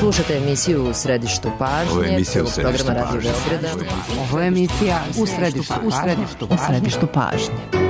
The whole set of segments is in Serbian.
Slušate emisiju U središtu pažnje. Ovo je emisija U središtu pažnje. Radio Beograda. Ovo je emisija U središtu pažnje.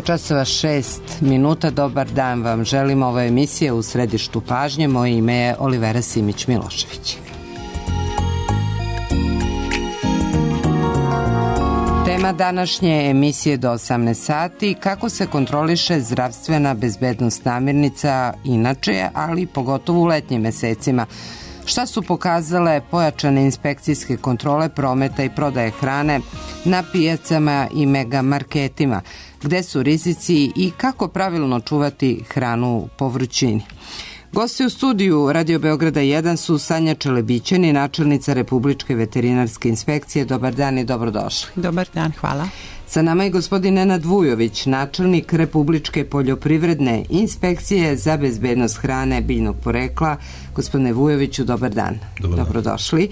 časova 6 minuta. Dobar dan vam želim. Ovo je emisija U središtu pažnje. Moje ime je Olivera Simić-Milošević. Tema današnje emisije do 18 sati, kako se kontroliše zdravstvena bezbednost namirnica inače, ali pogotovo u letnjim mesecima. Šta su pokazale pojačane inspekcijske kontrole prometa i prodaje hrane na pijacama i megamarketima? Gde su rizici i kako pravilno čuvati hranu po vrućini? Gosti u studiju Radio Beograda 1 su Sanja Čelebićani, načelnica Republičke veterinarske inspekcije. Dobar dan i dobrodošli. Dobar dan, hvala. Sa nama je gospodin Nenad Vujović, načelnik Republičke poljoprivredne inspekcije za bezbednost hrane biljnog porekla. Gospodine Vujoviću, dobar dan. Dobrodošli.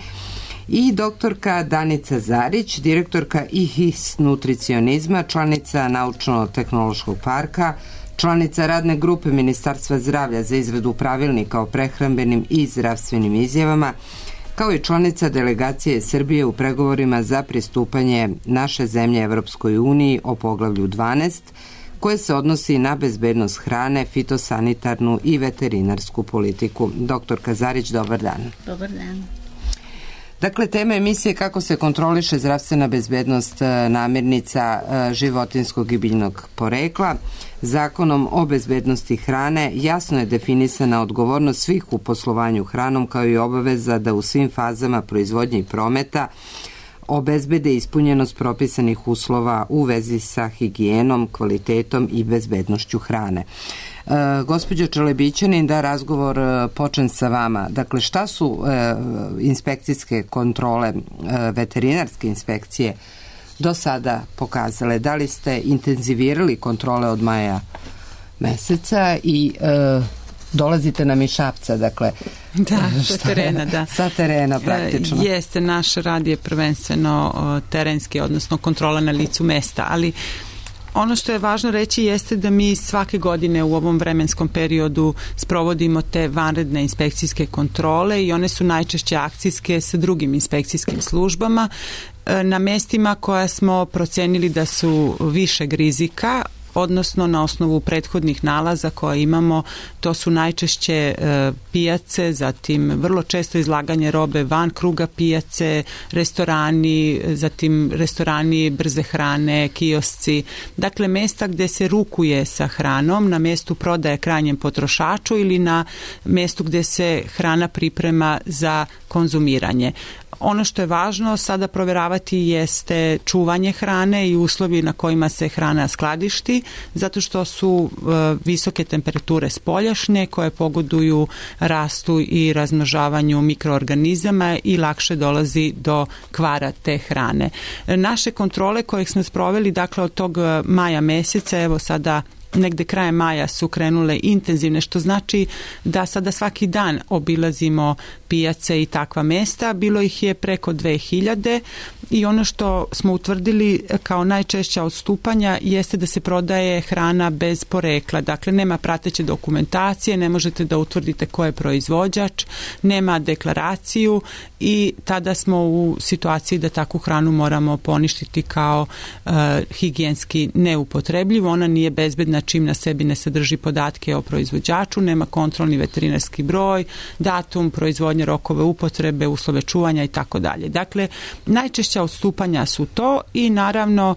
I doktorka Danica Zarić, direktorka IHIS nutricionizma, članica Naučno-tehnološkog parka, članica radne grupe Ministarstva zdravlja za izradu pravilnika o prehrambenim i zdravstvenim izjavama, kao i članica delegacije Srbije u pregovorima za pristupanje naše zemlje Evropskoj uniji o poglavlju 12, koje se odnosi na bezbednost hrane, fitosanitarnu i veterinarsku politiku. Doktorka Zarić, dobar dan. Dobar dan. Dakle, tema emisije kako se kontroliše zdravstvena bezbednost namirnica životinjskog i biljnog porekla. Zakonom o bezbednosti hrane jasno je definisana odgovornost svih u poslovanju hranom, kao i obaveza da u svim fazama proizvodnje i prometa obezbede ispunjenost propisanih uslova u vezi sa higijenom, kvalitetom i bezbednošću hrane. Gospođo Čelebićanin, da razgovor počnem sa vama. Dakle, šta su inspekcijske kontrole, veterinarske inspekcije do sada pokazale? Da li ste intenzivirali kontrole od maja meseca i dolazite nam iz Šapca, dakle. Da, sa terena, da. Sa terena, praktično. Jeste, naš rad je prvenstveno terenski, odnosno kontrola na licu mesta, ali ono što je važno reći jeste da mi svake godine u ovom vremenskom periodu sprovodimo te vanredne inspekcijske kontrole i one su najčešće akcijske sa drugim inspekcijskim službama na mestima koja smo procenili da su višeg rizika, odnosno na osnovu prethodnih nalaza koje imamo. To su najčešće pijace, zatim vrlo često izlaganje robe van kruga pijace, restorani, zatim restorani brze hrane, kiosci. Dakle, mesta gde se rukuje sa hranom, na mestu prodaje krajnjem potrošaču ili na mestu gde se hrana priprema za konzumiranje. Ono što je važno sada proveravati jeste čuvanje hrane i uslovi na kojima se hrana skladišti uslovi, zato što su visoke temperature spoljašnje koje pogoduju rastu i razmnožavanju mikroorganizama i lakše dolazi do kvara te hrane. Naše kontrole koje smo sproveli, dakle od tog maja meseca, evo sada negde krajem maja su krenule intenzivne, što znači da sada svaki dan obilazimo pijace i takva mesta. Bilo ih je preko 2000 i ono što smo utvrdili kao najčešća odstupanja jeste da se prodaje hrana bez porekla. Dakle, nema prateće dokumentacije, ne možete da utvrdite ko je proizvođač, nema deklaraciju i tada smo u situaciji da takvu hranu moramo poništiti kao higijenski neupotrebljivu. Ona nije bezbedna čim na sebi ne sadrži podatke o proizvođaču, nema kontrolni veterinarski broj, datum proizvodnje, rokove upotrebe, uslove čuvanja i tako dalje. Dakle, najčešća odstupanja su to i naravno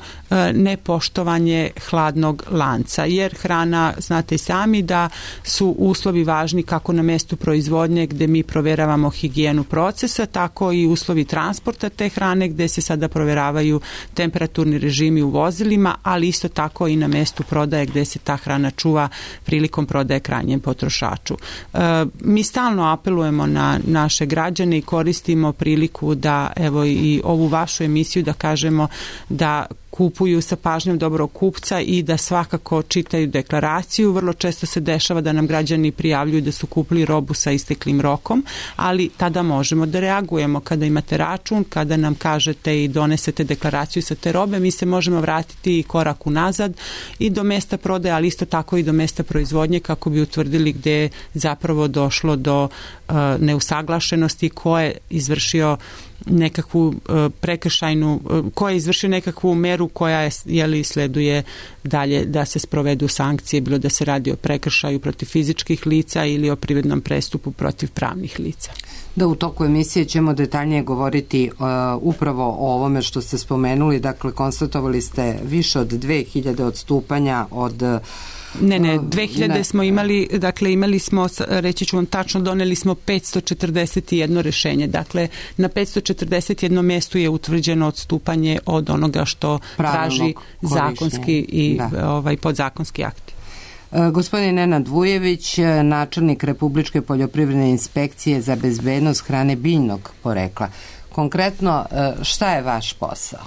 nepoštovanje hladnog lanca, jer hrana, znate i sami da su uslovi važni kako na mestu proizvodnje gde mi proveravamo higijenu procesa, tako i uslovi transporta te hrane gde se sada proveravaju temperaturni režimi u vozilima, ali isto tako i na mestu prodaje gde se ta hrana čuva prilikom prodaje krajnjem potrošaču. Mi stalno apelujemo na naše građane i koristimo priliku da evo i ovu vašu emisiju da kažemo da kupuju sa pažnjom dobrog kupca i da svakako čitaju deklaraciju. Vrlo često se dešava da nam građani prijavljuju da su kupili robu sa isteklim rokom, ali tada možemo da reagujemo. Kada imate račun, kada nam kažete i donesete deklaraciju sa te robe, mi se možemo vratiti i korak unazad i do mesta prodaje, ali isto tako i do mesta proizvodnje kako bi utvrdili gde je zapravo došlo do neusaglašenosti, ko je izvršio nekakvu prekršajnu, ko je izvršio nekakvu meru koja sleduje dalje da se sprovedu sankcije, bilo da se radi o prekršaju protiv fizičkih lica ili o privrednom prestupu protiv pravnih lica. Da, u toku emisije ćemo detaljnije govoriti upravo o ovome što ste spomenuli. Dakle, konstatovali ste više od 2000 odstupanja od... Ne, 2000 smo imali, dakle imali smo, reći ću vam tačno, doneli smo 541 rešenje. Dakle, na 541 mestu je utvrđeno odstupanje od onoga što traži zakonski i podzakonski akti. Gospodin Nenad Vujević, načelnik Republičke poljoprivredne inspekcije za bezbednost hrane biljnog porekla. Konkretno, šta je vaš posao?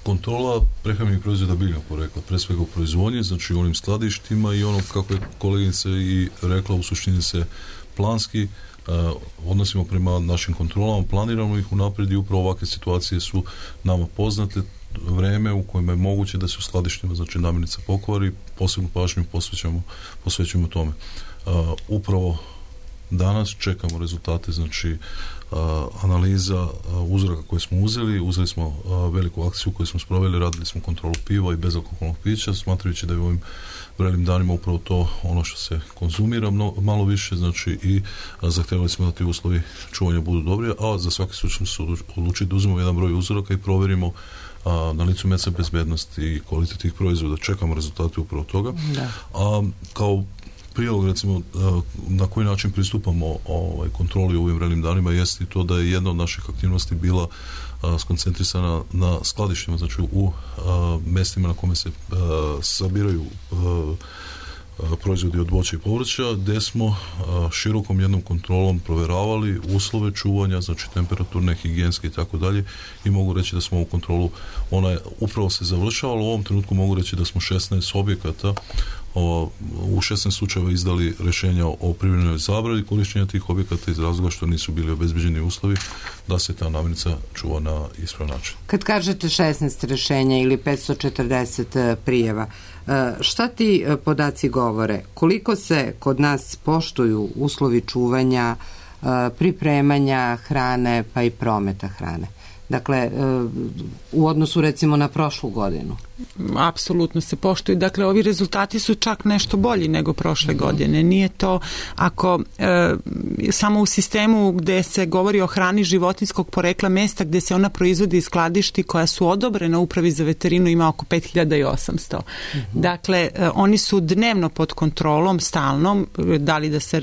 Kontrola prehrambenih proizvoda biljnog porekla, pre svega u proizvodnji, znači u onim skladištima i ono, kako je kolegica i rekla, u suštini se planski odnosimo prema našim kontrolama, planiramo ih unaprijed i upravo ovakve situacije su nama poznate. Vreme u kojima je moguće da se u skladištima, znači namirnica pokvari, posebnu pažnju posvećujemo tome. Upravo danas čekamo rezultate, znači analiza uzoraka koje smo uzeli smo veliku akciju koju smo sproveli, radili smo kontrolu piva i bezalkoholnog pića, smatrajući da je u ovim vrelim danima upravo to ono što se konzumira malo više, znači i zahtevali smo da ti uslovi čuvanja budu dobri, a za svaki slučaj smo odlučili da uzmemo jedan broj uzoraka i proverimo na licu mesta bezbednost i kvalitet tih proizvoda. Čekamo rezultate upravo toga. Da. Kao prilog, recimo, na koji način pristupamo kontroli u ovim vrelim danima jeste i to da je jedna od naših aktivnosti bila skoncentrisana na skladištima, znači u mestima na kome se sabiraju proizvodi od voća i povrća, gde smo širokom jednom kontrolom proveravali uslove čuvanja, znači temperaturne, higijenske i tako dalje, i mogu reći da smo ovu kontrolu, ona je upravo se završavala, u ovom trenutku mogu reći da smo 16 objekata u 16 slučajeva izdali rješenja o privremenoj zabrani korištenja tih objekata iz razloga što nisu bili obezbeđeni uslovi da se ta namirnica čuva na ispravan način. Kad kažete 16 rješenja ili 540 prijeva, šta ti podaci govore? Koliko se kod nas poštuju uslovi čuvanja, pripremanja hrane pa i prometa hrane? Dakle, u odnosu recimo na prošlu godinu. Apsolutno se poštuju. Dakle, ovi rezultati su čak nešto bolji nego prošle godine. Nije to, ako samo u sistemu gde se govori o hrani životinjskog porekla, mesta gde se ona proizvodi iz skladišti koja su odobrena Upravi za veterinu ima oko 5800. Dakle, oni su dnevno pod kontrolom, stalnom, da li da se,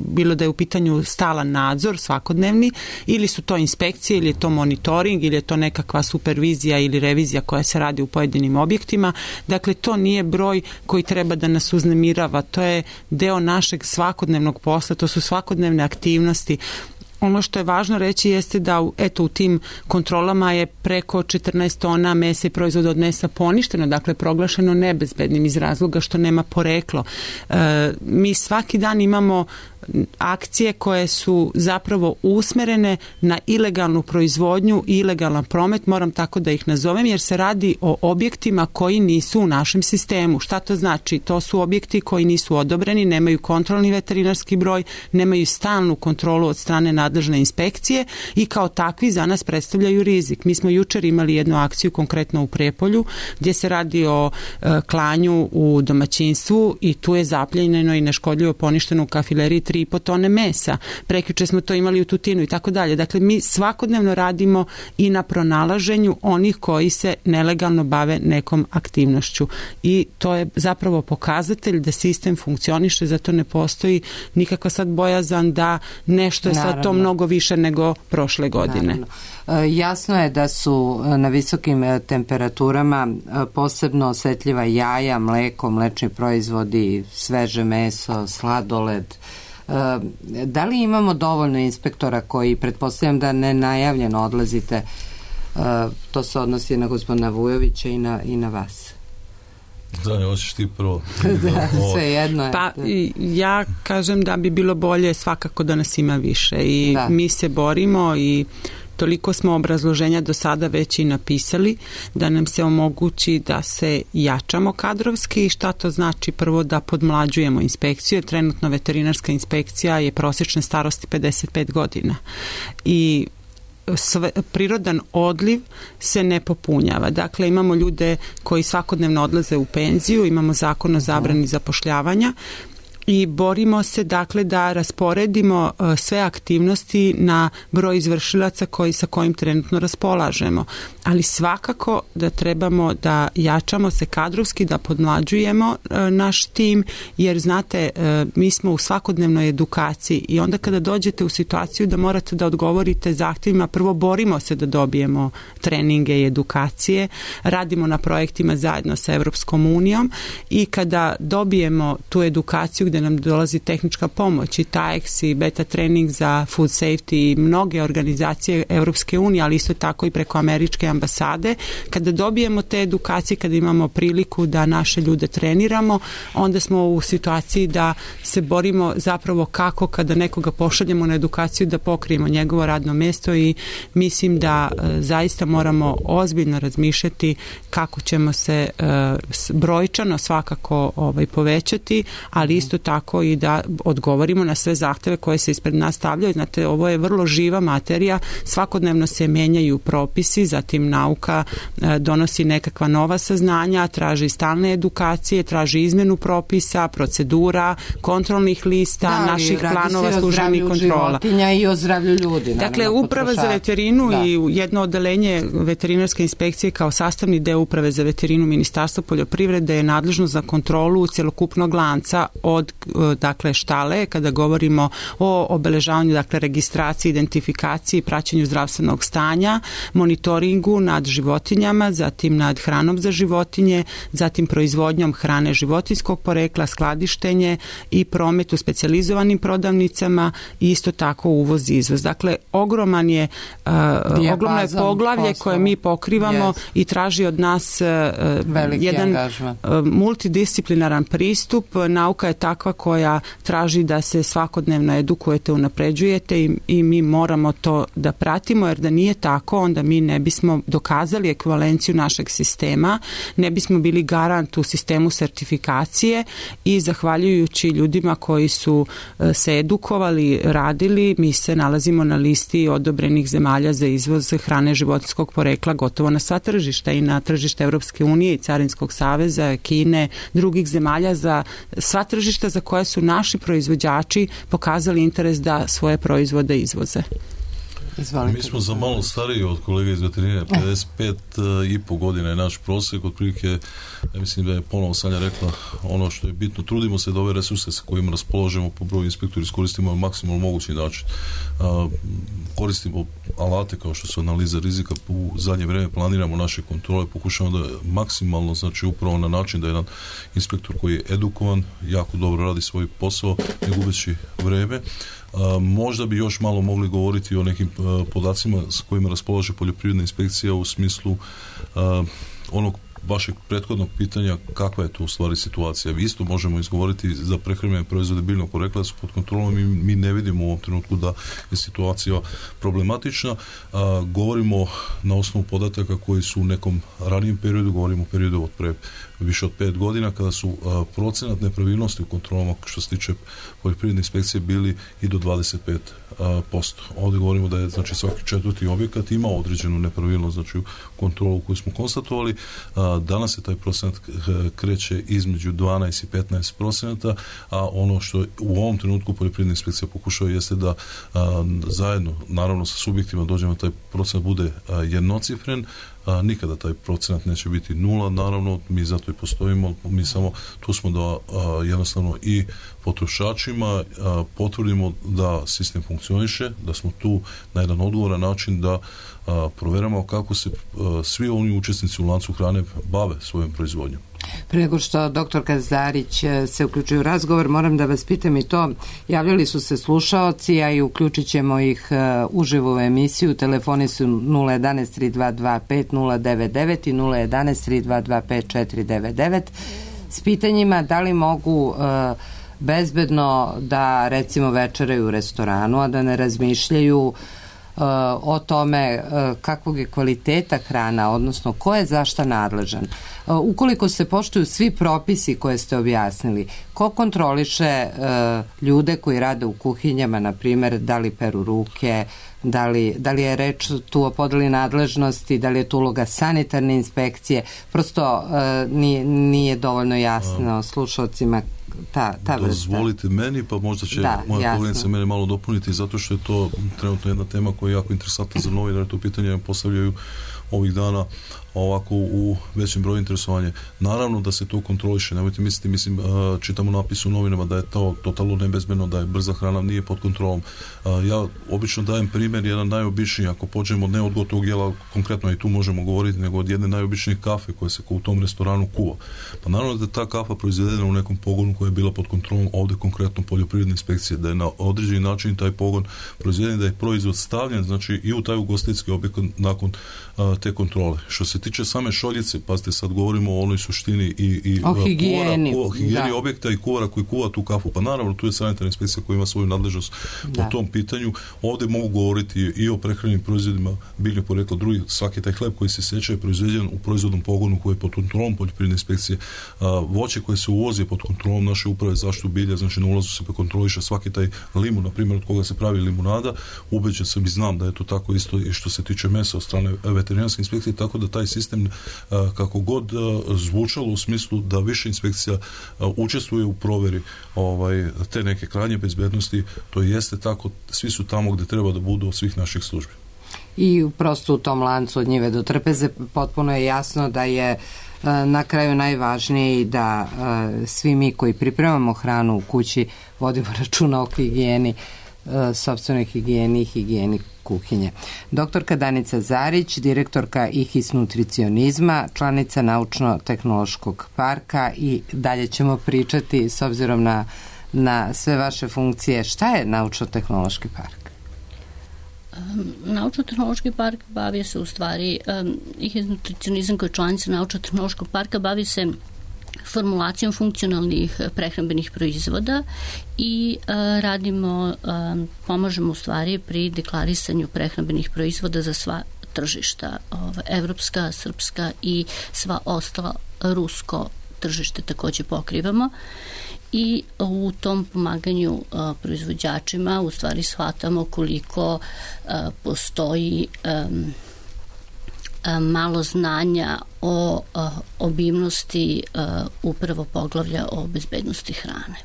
bilo da je u pitanju stalan nadzor svakodnevni, ili su to inspekcije, ili je to monitoring, monitoring ili je to nekakva supervizija ili revizija koja se radi u pojedinim objektima. Dakle, to nije broj koji treba da nas uznemirava, to je deo našeg svakodnevnog posla, to su svakodnevne aktivnosti. Ono što je važno reći jeste da u tim kontrolama je preko 14 tona mesa i proizvoda od mesa poništeno, dakle proglašeno nebezbednim iz razloga što nema poreklo. Mi svaki dan imamo akcije koje su zapravo usmerene na ilegalnu proizvodnju i ilegalan promet, moram tako da ih nazovem, jer se radi o objektima koji nisu u našem sistemu. Šta to znači? To su objekti koji nisu odobreni, nemaju kontrolni veterinarski broj, nemaju stalnu kontrolu od strane nadležne inspekcije i kao takvi za nas predstavljaju rizik. Mi smo jučer imali jednu akciju konkretno u Prijepolju gdje se radi o klanju u domaćinstvu i tu je zapljenjeno i neškodljivo poništeno u kafileriji 3,5 tone mesa. Prekjuče smo to imali u Tutinu i tako dalje. Dakle, mi svakodnevno radimo i na pronalaženju onih koji se nelegalno bave nekom aktivnošću. I to je zapravo pokazatelj da sistem funkcioniše, zato ne postoji nikakva sad bojazan da nešto je sad to mnogo više nego prošle godine. Jasno je da su na visokim temperaturama posebno osetljiva jaja, mleko, mlečni proizvodi, sveže meso, sladoled. Da li imamo dovoljno inspektora koji, pretpostavljam da nenajavljeno odlazite, to se odnosi na gospodina Vujovića i na vas? Zanja, hoćeš ti prvo. Sve jedno je. Pa ja kažem da bi bilo bolje svakako da nas ima više i mi se borimo i toliko smo obrazloženja do sada već i napisali da nam se omogući da se jačamo kadrovski. Šta to znači? Prvo da podmlađujemo inspekciju. Trenutno veterinarska inspekcija je prosječne starosti 55 godina i prirodan odliv se ne popunjava. Dakle, imamo ljude koji svakodnevno odlaze u penziju, imamo zakon o zabrani zapošljavanja i borimo se dakle da rasporedimo sve aktivnosti na broj izvršilaca sa kojim trenutno raspolažemo. Ali svakako da trebamo da jačamo se kadrovski, da podmlađujemo naš tim, jer znate, mi smo u svakodnevnoj edukaciji i onda kada dođete u situaciju da morate da odgovorite zahtjevima, prvo borimo se da dobijemo treninge i edukacije, radimo na projektima zajedno sa Evropskom unijom i kada dobijemo tu edukaciju gdje nam dolazi tehnička pomoć i TAEX i beta trening za food safety i mnoge organizacije Evropske unije, ali isto tako i preko američke ambasade, kada dobijemo te edukacije, kada imamo priliku da naše ljude treniramo, onda smo u situaciji da se borimo zapravo kako kada nekoga pošaljemo na edukaciju da pokrijemo njegovo radno mjesto i mislim da zaista moramo ozbiljno razmišljati kako ćemo se brojčano svakako povećati, ali isto tako i da odgovorimo na sve zahteve koje se ispred nas stavljaju. Znate, ovo je vrlo živa materija, svakodnevno se menjaju propisi, zatim nauka donosi nekakva nova saznanja, traži stalne edukacije, traži izmjenu propisa, procedura, kontrolnih lista, naših planova službenih kontrola. Životinja i o zdravlju ljudi. Dakle, Uprava za veterinu i jedno odeljenje veterinarske inspekcije kao sastavni deo Uprave za veterinu Ministarstva poljoprivrede je nadležno za kontrolu cjelokupnog lanca od dakle štale, kada govorimo o obeležavanju, dakle registraciji, identifikaciji, praćenju zdravstvenog stanja, monitoringu nad životinjama, zatim nad hranom za životinje, zatim proizvodnjom hrane životinjskog porekla, skladištenje i promet u specijalizovanim prodavnicama i isto tako uvoz i izvoz. Dakle, ogromno je poglavlje koje mi pokrivamo i traži od nas jedan multidisciplinaran pristup. Nauka je takva koja traži da se svakodnevno edukujete, unapređujete i mi moramo to da pratimo, jer da nije tako, onda mi ne bismo dokazali ekvivalenciju našeg sistema, ne bismo bili garant u sistemu sertifikacije i zahvaljujući ljudima koji su se edukovali, radili, mi se nalazimo na listi odobrenih zemalja za izvoz hrane životinjskog porekla gotovo na sva tržišta i na tržište Evropske unije i Carinskog saveza, Kine, drugih zemalja, za sva tržišta za koje su naši proizvođači pokazali interes da svoje proizvode izvoze. Izvolite. Mi smo za malo stariji od kolega iz veterinarije, 55,5 godina je naš prosjek, otprilike, ja mislim da je ponovo Sanja rekla ono što je bitno, trudimo se da ove resurse sa kojima raspoložimo po broju inspektora iskoristimo na maksimalno mogući način. Koristimo alate kao što su analiza rizika, u zadnje vrijeme planiramo naše kontrole, pokušamo da maksimalno, znači upravo na način da jedan inspektor koji je edukovan, jako dobro radi svoj posao, ne gubeći vrijeme. Možda bi još malo mogli govoriti o nekim podacima s kojima raspolaže poljoprivredna inspekcija u smislu onog vašeg prethodnog pitanja kakva je to u stvari situacija. Isto možemo izgovoriti za prehrambene proizvode biljnog porekla da su pod kontrolom i mi ne vidimo u ovom trenutku da je situacija problematična. Govorimo na osnovu podataka koji su u nekom ranijem periodu, govorimo o periodu od pre više od 5 godina kada su procenat nepravilnosti u kontrolama što se tiče poljoprivredne inspekcije bili i do 25%. Ovdje govorimo da je znači svaki 4. objekat imao određenu nepravilnost, znači kontrolu koju smo konstatovali. Danas se taj procenat kreće između 12 i 15%, a ono što u ovom trenutku poljoprivredna inspekcija pokušava jeste da zajedno, naravno sa subjektima dođemo taj procenat bude jednocifren. Nikada taj procenat neće biti 0, naravno mi zato i postojimo, mi samo tu smo da jednostavno i potrošačima potvrdimo da sistem funkcioniše, da smo tu na jedan odgovoran način da provjeramo kako se svi oni učesnici u lancu hrane bave svojom proizvodnjom. Prije nego što doktorka Zarić se uključuje u razgovor, moram da vas pitam i to, javljali su se slušaoci, a i uključit ćemo ih uživo u emisiju, telefoni su 011 3225 099 i 011 3225 499 s pitanjima da li mogu bezbedno da recimo večeraju u restoranu, a da ne razmišljaju o tome kakvog je kvaliteta hrana, odnosno ko je za šta nadležan. Ukoliko se poštuju svi propisi koje ste objasnili, ko kontroliše ljude koji rade u kuhinjama, na primjer, da li peru ruke, da li je reč tu o podeli nadležnosti, da li je tu uloga sanitarne inspekcije, prosto nije dovoljno jasno slušalcima ta vrsta. Dozvolite meni, pa možda će moja kolegica mene malo dopuniti, zato što je to trenutno jedna tema koja je jako interesantna za novinare, to pitanje postavljaju ovih dana ovako u većem broju interesovanja. Naravno da se to kontroliše, nemojte misliti, čitamo napis u novinama da je to totalno nebezbedno, da je brza hrana nije pod kontrolom. Ja obično dajem primjer, jedan najobičniji, ako pođemo ne od gotovog jela, konkretno i tu možemo govoriti, nego od jedne najobičnije kafe koje se u tom restoranu kuva. Pa naravno da je ta kafa proizvedena u nekom pogonu koja je bila pod kontrolom ovdje konkretno poljoprivredne inspekcije, da je na određeni način taj pogon proizveden, da je proizvod stavljen, znači i u taj ugostiteljski objekat nakon te kontrole. Što se tiče same šoljice, pazite, sad govorimo o onoj suštini i o higijeni objekta i kuvara koji kuva tu kafu. Pa naravno, tu je sanitarna inspekcija koja ima svoju nadležnost po tom pitanju. Ovdje mogu govoriti i o prehrambenim proizvodima biljnog porekla, drugi, svaki taj hleb koji se seče je proizveden u proizvodnom pogonu koji je pod kontrolom poljoprivredne inspekcije. Voće koje se uvozi pod kontrolom naše uprave zaštitu bilja, znači na ulazu se kontroliše svaki taj limun, na primjer od koga se pravi limunada. Ubeđen sam i znam da je to tako isto i što se tiče mesa od strane veterinarske inspekcije, tako da taj sistem kako god zvučalo u smislu da više inspekcija učestvuje u provjeri te neke krajnje bezbednosti, to jeste tako, svi su tamo gdje treba da budu od svih naših službi. I prosto u tom lancu od njive do trpeze potpuno je jasno da je na kraju najvažnije i da svi mi koji pripremamo hranu u kući vodimo računa o higijeni, sopstvenoj higijeni i higijeni kuhinje. Doktorka Danica Zarić, direktorka IHIS nutricionizma, članica Naučno-tehnološkog parka, i dalje ćemo pričati s obzirom na sve vaše funkcije. Šta je Naučno-tehnološki park? Naučno-tehnološki park bavi se u stvari, IHIS nutricionizam koji je članica Naučno-tehnološkog parka bavi se formulacijom funkcionalnih prehrambenih proizvoda i pomažemo u stvari pri deklarisanju prehrambenih proizvoda za sva tržišta, evropska, srpska i sva ostala rusko tržište također pokrivamo. I u tom pomaganju proizvođačima u stvari shvatamo koliko postoji malo znanja o obimnosti upravo poglavlja o bezbednosti hrane.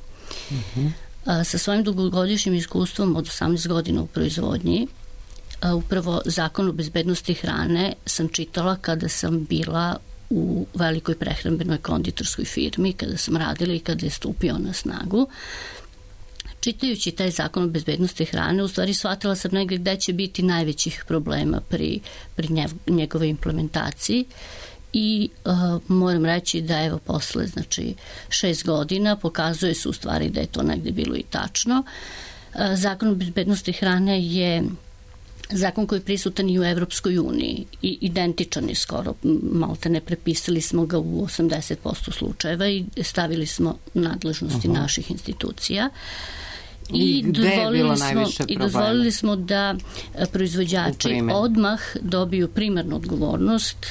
Sa svojim dugogodišnjim iskustvom od 18 godina u proizvodnji upravo Zakon o bezbednosti hrane sam čitala kada sam bila u velikoj prehrambenoj konditorskoj firmi, kada sam radila i kada je stupio na snagu. Čitajući taj Zakon o bezbednosti hrane, u stvari shvatila sam negdje gde će biti najvećih problema pri njegove implementaciji i moram reći da evo posle 6 godina pokazuje se u stvari da je to negdje bilo i tačno. Zakon o bezbednosti hrane je zakon koji je prisutan i u Evropskoj uniji i identičan je skoro, malte ne prepisali smo ga u 80% slučajeva i stavili smo nadležnosti naših institucija. I dozvolili smo da proizvođači odmah dobiju primarnu odgovornost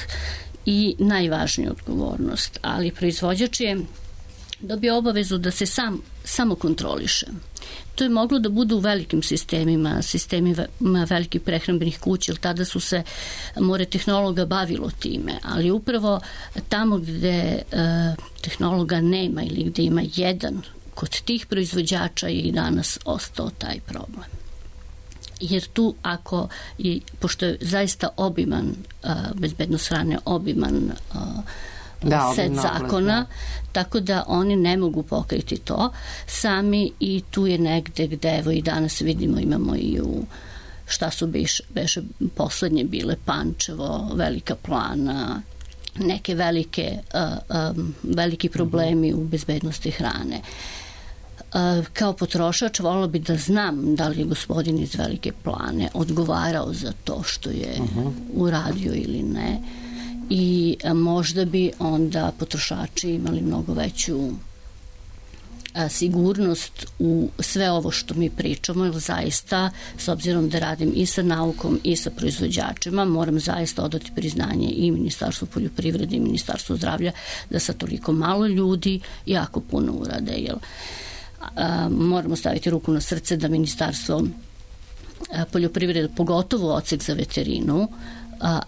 i najvažniju odgovornost, ali proizvođač je dobio obavezu da se samo kontroliše. To je moglo da bude u velikim sistemima velikih prehrambenih kuća, jer tada su se more tehnologa bavilo time, ali upravo tamo gde tehnologa nema ili gde ima jedan, kod tih proizvođača je i danas ostao taj problem. Jer tu pošto je zaista obiman, bezbednost hrane obiman set zakona, tako da oni ne mogu pokriti to sami i tu je negde gde evo i danas vidimo, imamo i u šta su beše poslednje bile Pančevo, Velika Plana, neke veliki problemi u bezbednosti hrane. Kao potrošač voljela bi da znam da li je gospodin iz Velike Plane odgovarao za to što je uradio ili ne i možda bi onda potrošači imali mnogo veću sigurnost u sve ovo što mi pričamo, jer zaista, s obzirom da radim i sa naukom i sa proizvođačima, moram zaista odati priznanje i Ministarstvu poljoprivrede i Ministarstvu zdravlja da sa toliko malo ljudi jako puno urade, jer moramo staviti ruku na srce da Ministarstvo poljoprivrede, pogotovo odsek za veterinu,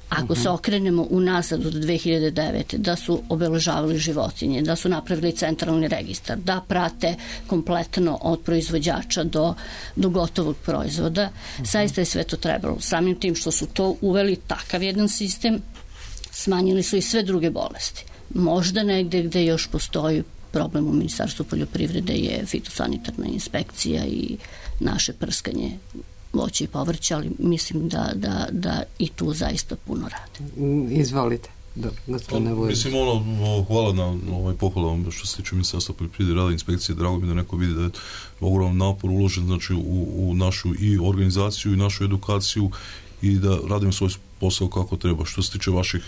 ako se okrenemo unazad od 2009. da su obeležavali životinje, da su napravili centralni registar, da prate kompletno od proizvođača do gotovog proizvoda, zaista je sve to trebalo. Samim tim što su to uveli takav jedan sistem, smanjili su i sve druge bolesti. Možda negde gde još postoji problem u Ministarstvu poljoprivrede je fitosanitarna inspekcija i naše prskanje voća i povrća, ali mislim da i tu zaista puno rade. Izvolite. Mislim, hvala na pohvala što se tiče Ministarstva poljoprivrede, rada inspekcije. Drago mi da neko vidi da je ogroman napor uložen u našu i organizaciju i našu edukaciju i da radimo svoj posao kako treba. Što se tiče vaših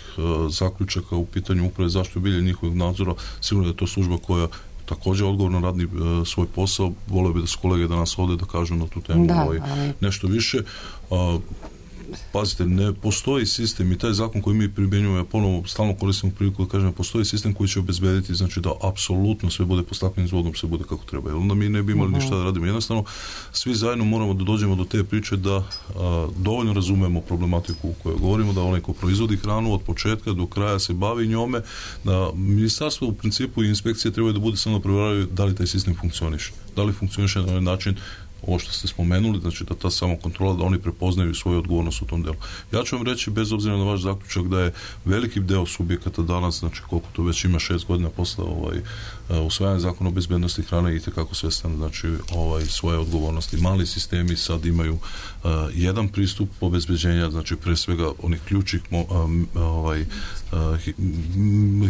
zaključaka u pitanju uprave zaštite bilja i njihovog nadzora, sigurno da je to služba koja također odgovorno radi svoj posao. Volio bi da su kolege danas ovdje da kažu na tu temu nešto više. Pazite, ne postoji sistem i taj zakon koji mi primjenjujemo, ja ponovo stalno koristimo priliku da kažem, postoji sistem koji će obezbediti, znači da apsolutno sve bude pod staklenim zvodom, sve bude kako treba. Jer onda mi ne bi imali ništa da radimo. Jednostavno, svi zajedno moramo da dođemo do te priče da dovoljno razumemo problematiku u kojoj govorimo, da onaj ko proizvodi hranu od početka do kraja se bavi njome, da ministarstvo u principu i inspekcije trebaju da bude samo da provjeravaju da li taj sistem funkcioniše. Da li funkcioniše na ovaj način ovo što ste spomenuli, znači da ta samokontrola, da oni prepoznaju svoju odgovornost u tom delu. Ja ću vam reći, bez obzira na vaš zaključak, da je veliki deo subjekata danas, znači koliko to već ima 6 godina posle usvajanja zakona o bezbednosti hrane, itekako svestan, znači svoje odgovornosti. Mali sistemi sad imaju jedan pristup obezbeđenja, znači pre svega onih ključnih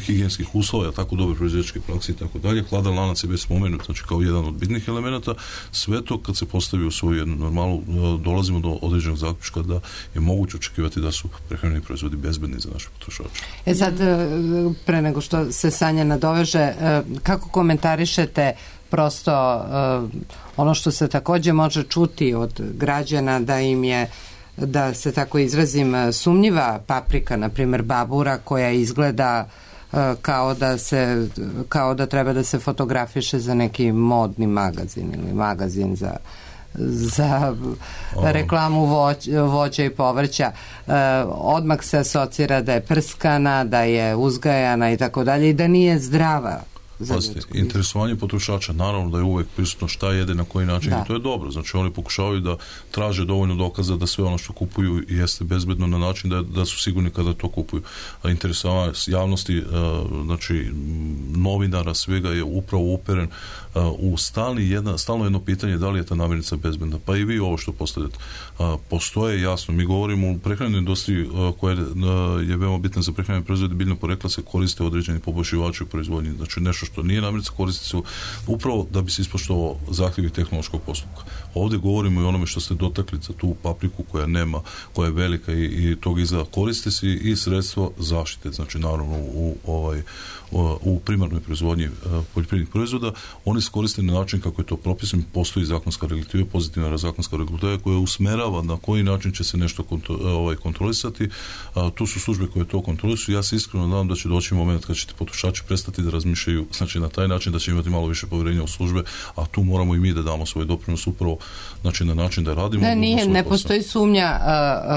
higijenskih uslova, tako dobre proizvođačke prakse i tako dalje. Hladan lanac je već spomenut, znači kao jedan od bitnih elemenata. Sve to kad se postavi u svoju jednu normalu, dolazimo do određenog zaključka da je moguće očekivati da su prehrambeni proizvodi bezbedni za naše potrošače. Sad, pre nego što se Sanja nadoveže, kako komentarišete prosto ono što se također može čuti od građana da im je, da se tako izrazim, sumnjiva paprika, na primjer babura, koja izgleda kao da treba da se fotografiše za neki modni magazin ili magazin za reklamu voća i povrća. Odmah se asocira da je prskana, da je uzgajana i tako dalje i da nije zdrava. za ljudsku. Interesovanje potrošača, naravno da je uvek prisutno šta jede, na koji način, i to je dobro. Znači oni pokušavaju da traže dovoljno dokaza da sve ono što kupuju jeste bezbedno na način da su sigurni kada to kupuju. Interesovanje javnosti, znači novinara, svega je upravo uperen u stalno jedno pitanje da li je ta namirnica bezbedna. Pa i vi ovo što postavljate. Postoje, jasno, mi govorimo u prehrambenoj industriji koja je veoma bitna za prehrambene proizvode biljnog porekla, se koriste određeni poboljšivači u proizvodnji. Znači nešto što nije namirnica koristi se upravo da bi se ispoštovao zahtjevi tehnološkog postupka. Ovdje govorimo i onome što ste dotakli za tu papriku koja je velika i tog izgleda. Koriste se i sredstvo zaštite, znači naravno u primarnoj proizvodnji poljoprivrednih proizvoda. Oni se koriste na način kako je to propisano, postoji zakonska regulativa, pozitivna zakonska regulativa koja usmerava na koji način će se nešto kontrolisati. Tu su službe koje to kontrolisuju. Ja se iskreno nadam da će doći moment kad ćete potrošači prestati da razmišljaju, znači na taj način da će imati malo više povjerenja u službe, a tu moramo i mi da damo svoj doprinos upravo, znači na način da radimo. Ne postoji sumnja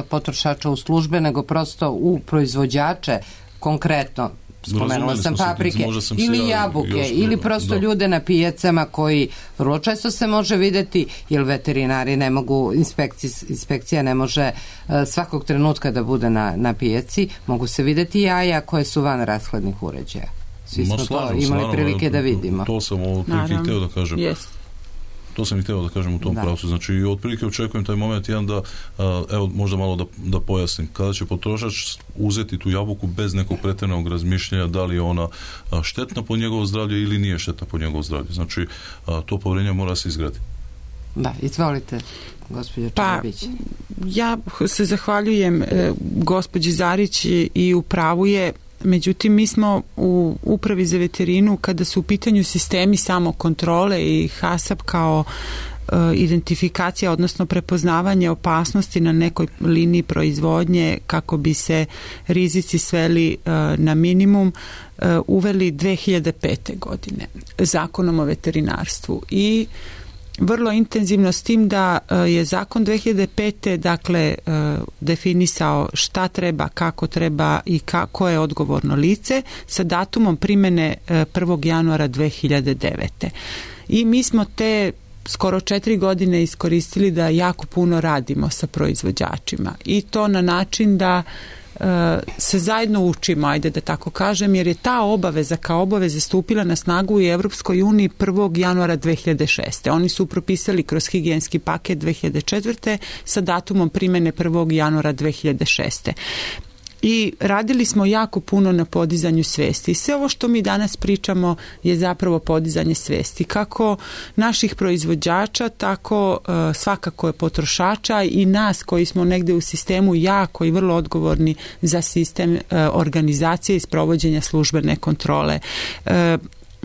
potrošača u službe, nego prosto u proizvođače konkretno. Spomenula sam paprike ili jabuke ili prosto ljude na pijacama koji vrlo često se može vidjeti, jer veterinari ne mogu, inspekcija ne može svakog trenutka da bude na pijaci, mogu se vidjeti jaja koje su van rashladnih uređaja. Svi smo to imali prilike da vidimo. To sam otprilike hteo da kažem. To sam i hteo da kažem u tom pravcu. Znači, otprilike očekujem taj moment jedan da, evo, možda malo da pojasnim. Kada će potrošač uzeti tu jabuku bez nekog pretjeranog razmišljanja da li je ona štetna po njegovo zdravlje ili nije štetna po njegovo zdravlje. Znači, to povjerenje mora se izgraditi. Da, izvolite, gospođo Čarabić. Ja se zahvaljujem gospođi Zarić i u pravu je. Međutim, mi smo u Upravi za veterinu, kada su u pitanju sistemi samokontrole i HASAP kao identifikacija, odnosno prepoznavanje opasnosti na nekoj liniji proizvodnje kako bi se rizici sveli na minimum, uveli 2005. godine Zakonom o veterinarstvu i vrlo intenzivno, s tim da je zakon 2005. dakle definisao šta treba, kako treba i ko je odgovorno lice sa datumom primjene 1. januara 2009. I mi smo te skoro 4 godine iskoristili da jako puno radimo sa proizvođačima i to na način da se zajedno učimo, ajde da tako kažem, jer je ta obaveza kao obaveza stupila na snagu u Evropskoj uniji 1. januara 2006. Oni su propisali kroz higijenski paket 2004. sa datumom primjene 1. januara 2006. I radili smo jako puno na podizanju svesti. I sve ovo što mi danas pričamo je zapravo podizanje svesti. Kako naših proizvođača, tako svakako je potrošača i nas koji smo negde u sistemu jako i vrlo odgovorni za sistem organizacije i sprovođenja službene kontrole.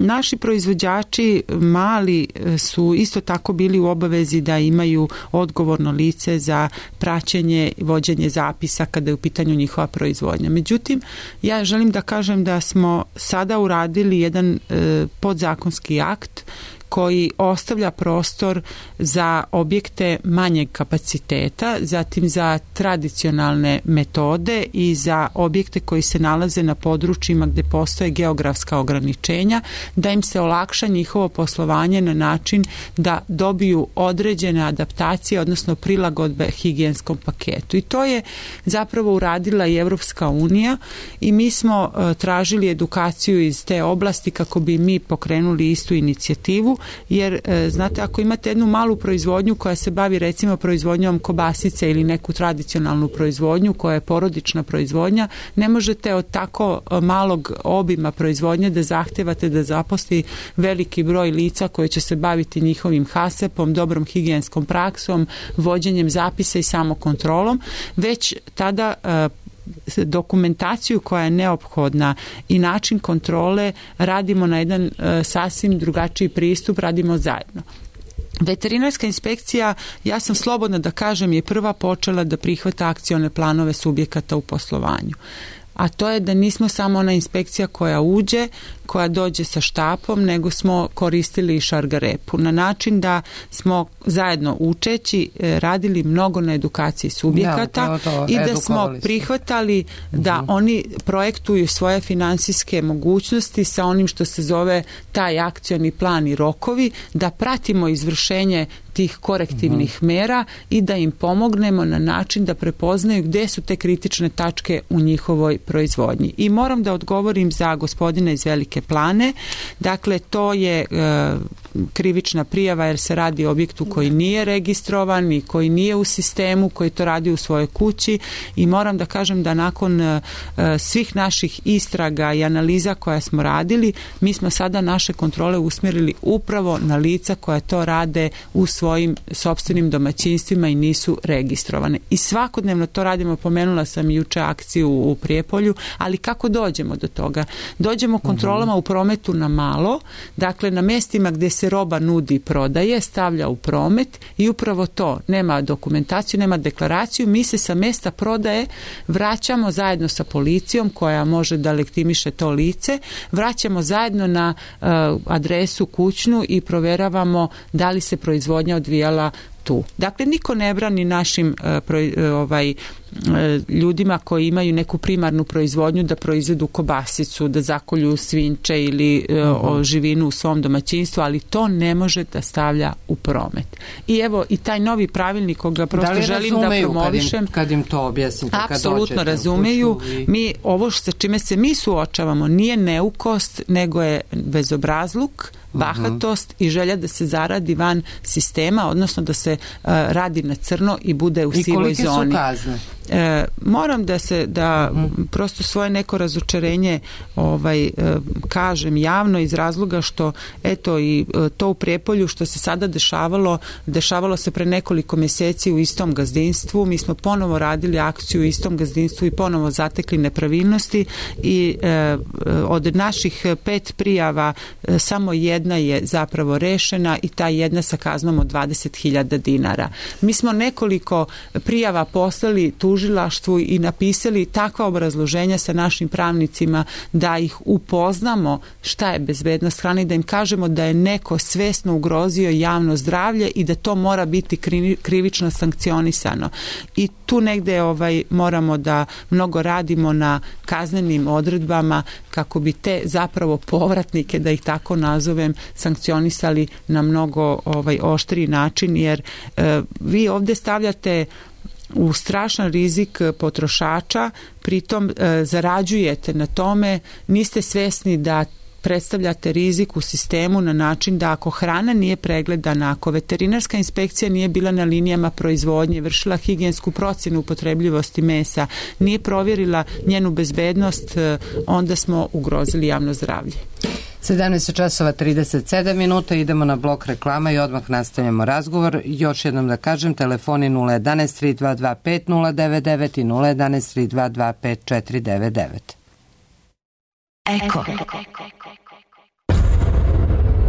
Naši proizvođači mali su isto tako bili u obavezi da imaju odgovorno lice za praćenje i vođenje zapisa kada je u pitanju njihova proizvodnja. Međutim, ja želim da kažem da smo sada uradili jedan podzakonski akt koji ostavlja prostor za objekte manjeg kapaciteta, zatim za tradicionalne metode i za objekte koji se nalaze na područjima gdje postoje geografska ograničenja, da im se olakša njihovo poslovanje na način da dobiju određene adaptacije, odnosno prilagodbe higijenskom paketu. I to je zapravo uradila i Evropska unija i mi smo tražili edukaciju iz te oblasti kako bi mi pokrenuli istu inicijativu, jer znate, ako imate jednu malu proizvodnju koja se bavi recimo proizvodnjom kobasice ili neku tradicionalnu proizvodnju koja je porodična proizvodnja, ne možete od tako malog obima proizvodnje da zahtevate da zaposli veliki broj lica koji će se baviti njihovim HASAP-om, dobrom higijenskom praksom, vođenjem zapisa i samokontrolom, već tada dokumentaciju koja je neophodna i način kontrole radimo na jedan sasvim drugačiji pristup, radimo zajedno. Veterinarska inspekcija, ja sam slobodna da kažem, je prva počela da prihvata akcione planove subjekata u poslovanju. a to je da nismo samo ona inspekcija koja uđe, koja dođe sa štapom, nego smo koristili i šargarepu na način da smo zajedno učeći radili mnogo na edukaciji subjekata i da smo prihvatali da oni projektuju svoje finansijske mogućnosti sa onim što se zove taj akcioni plan i rokovi, da pratimo izvršenje tih korektivnih mera i da im pomognemo na način da prepoznaju gde su te kritične tačke u njihovoj proizvodnji. I moram da odgovorim za gospodina iz Velike Plane. Dakle, to je krivična prijava jer se radi o objektu koji nije registrovan i koji nije u sistemu, koji to radi u svojoj kući i moram da kažem da nakon svih naših istraga i analiza koja smo radili, mi smo sada naše kontrole usmjerili upravo na lica koja to rade u svojim sopstvenim domaćinstvima i nisu registrovane. I svakodnevno to radimo, pomenula sam juče akciju u Prijepolju, ali kako dođemo do toga? Dođemo kontrolama u prometu na malo, dakle na mjestima gdje se roba nudi i prodaje, stavlja u promet i upravo to, nema dokumentaciju, nema deklaraciju, mi se sa mjesta prodaje vraćamo zajedno sa policijom koja može da lektimiše to lice, vraćamo zajedno na adresu kućnu i provjeravamo da li se proizvodnja odvijala tu. Dakle, niko ne brani našim ljudima koji imaju neku primarnu proizvodnju da proizvedu kobasicu, da zakolju svinče ili živinu u svom domaćinstvu, ali to ne može da stavlja u promet. I evo, i taj novi pravilnik koga prosto želim da promovišem. Kad im to objasnite? Apsolutno razumeju. Mi, ovo sa čime se mi suočavamo nije neukost, nego je bezobrazluk, bahatost i želja da se zaradi van sistema, odnosno da se radi na crno i bude u sivoj zoni. I kolike su kazne? Moram da prosto svoje neko razočarenje kažem javno iz razloga što eto i to u Prijepolju što se sada dešavalo se pre nekoliko mjeseci u istom gazdinstvu. Mi smo ponovo radili akciju u istom gazdinstvu i ponovo zatekli nepravilnosti i od naših 5 prijava samo jedna je zapravo rešena i ta jedna sa kaznom od 20.000 dinara. Mi smo nekoliko prijava poslali tužilaštvu i napisali takva obrazloženja sa našim pravnicima da ih upoznamo šta je bezbednost hrane i da im kažemo da je neko svesno ugrozio javno zdravlje i da to mora biti krivično sankcionisano. I tu negde moramo da mnogo radimo na kaznenim odredbama kako bi te zapravo povratnike, da ih tako nazovem, sankcionisali na mnogo oštriji način, jer vi ovdje stavljate u strašan rizik potrošača, pritom zarađujete na tome, niste svesni da predstavljate rizik u sistemu na način da ako hrana nije pregledana, ako veterinarska inspekcija nije bila na linijama proizvodnje, vršila higijensku procjenu upotrebljivosti mesa, nije provjerila njenu bezbednost, onda smo ugrozili javno zdravlje. 17:37, idemo na blok reklama i odmah nastavljamo razgovor. Još jednom da kažem, telefoni 011 322 5099 i 011 322 5499. Eko.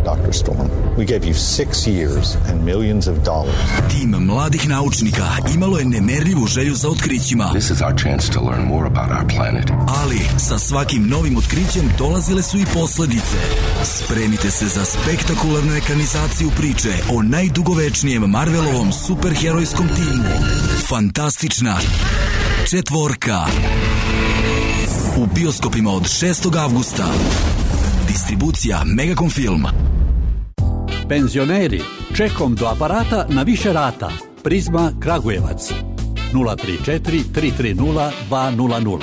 Dr. Storm, we gave you 6 years and millions of dollars. Tim mladih naučnika imalo je nemerljivu želju za otkrićima. This is our chance to learn more about our planet. Ali sa svakim novim otkrićem dolazile su i posljedice. Spremite se za spektakularnu ekranizaciju priče o najdugovečnijem Marvelovom superherojskom timu. Fantastična četvorka. U bioskopima od 6. avgusta. Distribucija Megacom Film. Penzioneri, čekom do aparata na više rata. Prizma Kragujevac. 034 330 200.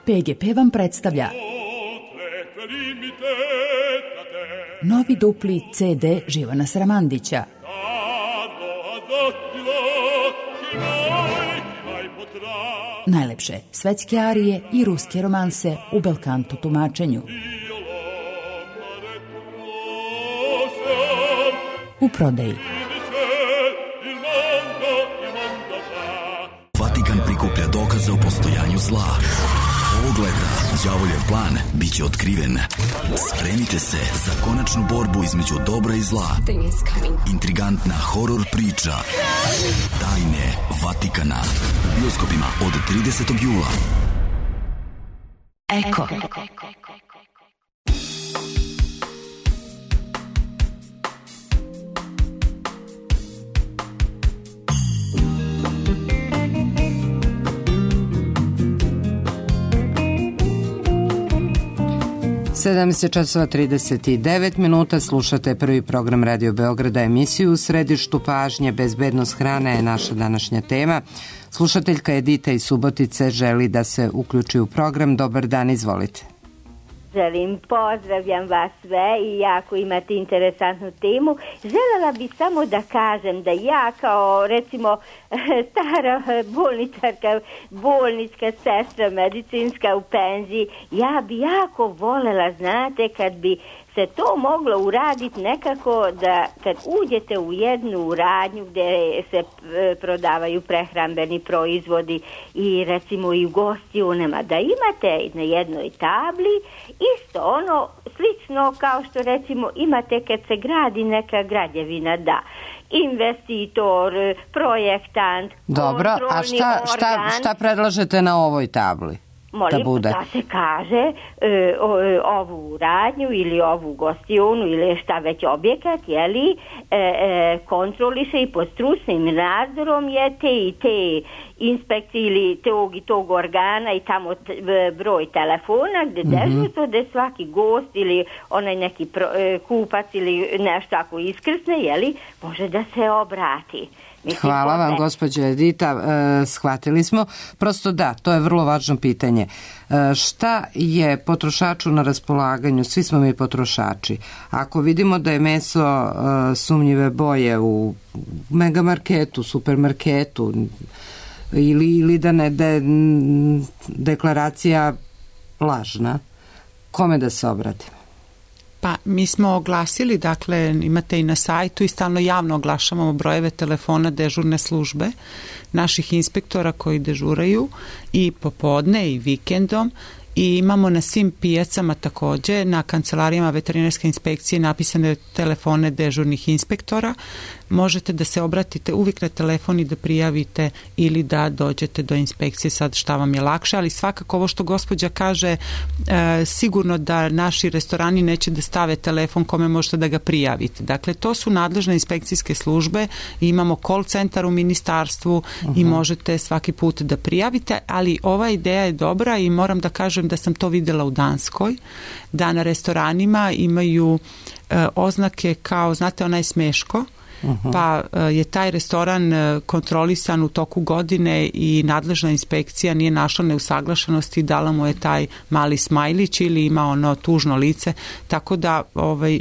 PGP vam predstavlja novi dupli CD Živana Sramandića. Najlepše svetske arije i ruske romanse u belkanto tumačenju. U prodaji. Vatikan prikuplja dokaze o postojanju zla. Ogleda Đavoljev plan biće otkriven. Spremite se za konačnu borbu između dobra i zla. Intrigantna horor priča. Tajne Vatikana. U bioskopima od 30. jula. Eko. 17:39 minuta, slušate prvi program Radio Beograda, emisiju U središtu pažnje, bezbednost hrane je naša današnja tema. Slušateljka Edita iz Subotice želi da se uključi u program. Dobar dan, izvolite. Želim, pozdravljam vas sve i jako imate interesantnu temu. Želela bih samo da kažem da ja kao recimo stara bolničarka, bolnička sestra medicinska u penziji, ja bi jako volela, znate, kad bi se to moglo uraditi nekako da kad uđete u jednu radnju gdje se prodavaju prehrambeni proizvodi i recimo i u gostionama, da imate na jednoj tabli isto ono slično kao što recimo imate kad se gradi neka građevina, da investitor, projektant, dobro, a šta predlažete na ovoj tabli? Molim da se kaže ovu radnju ili ovu gostionu ili šta već objekat, jeli, kontroliše i pod stručnim nadzorom je te i te inspekcije ili tog organa i tamo broj telefona gdje dežurstvo da svaki gost ili onaj neki kupac ili nešto ako iskrsne, jeli, može da se obrati. Hvala vam, gospođo Edita, shvatili smo. Prosto da, to je vrlo važno pitanje. Šta je potrošaču na raspolaganju? Svi smo mi potrošači. Ako vidimo da je meso sumnjive boje u megamarketu, supermarketu ili da je deklaracija lažna, kome da se obratimo? Pa mi smo oglasili, dakle imate i na sajtu i stalno javno oglašavamo brojeve telefona dežurne službe naših inspektora koji dežuraju i popodne i vikendom i imamo na svim pijacama takođe, na kancelarijama veterinarske inspekcije napisane telefone dežurnih inspektora. Možete da se obratite uvijek na telefon i da prijavite ili da dođete do inspekcije, sad šta vam je lakše, ali svakako ovo što gospođa kaže, sigurno da naši restorani neće da stave telefon kome možete da ga prijavite. Dakle, to su nadležne inspekcijske službe i imamo call centar u ministarstvu i možete svaki put da prijavite, ali ova ideja je dobra i moram da kažem da sam to videla u Danskoj, da na restoranima imaju oznake kao, znate, onaj smeško, pa je taj restoran kontrolisan u toku godine i nadležna inspekcija nije našla neusaglašenosti i dala mu je taj mali smajlić ili ima ono tužno lice, tako da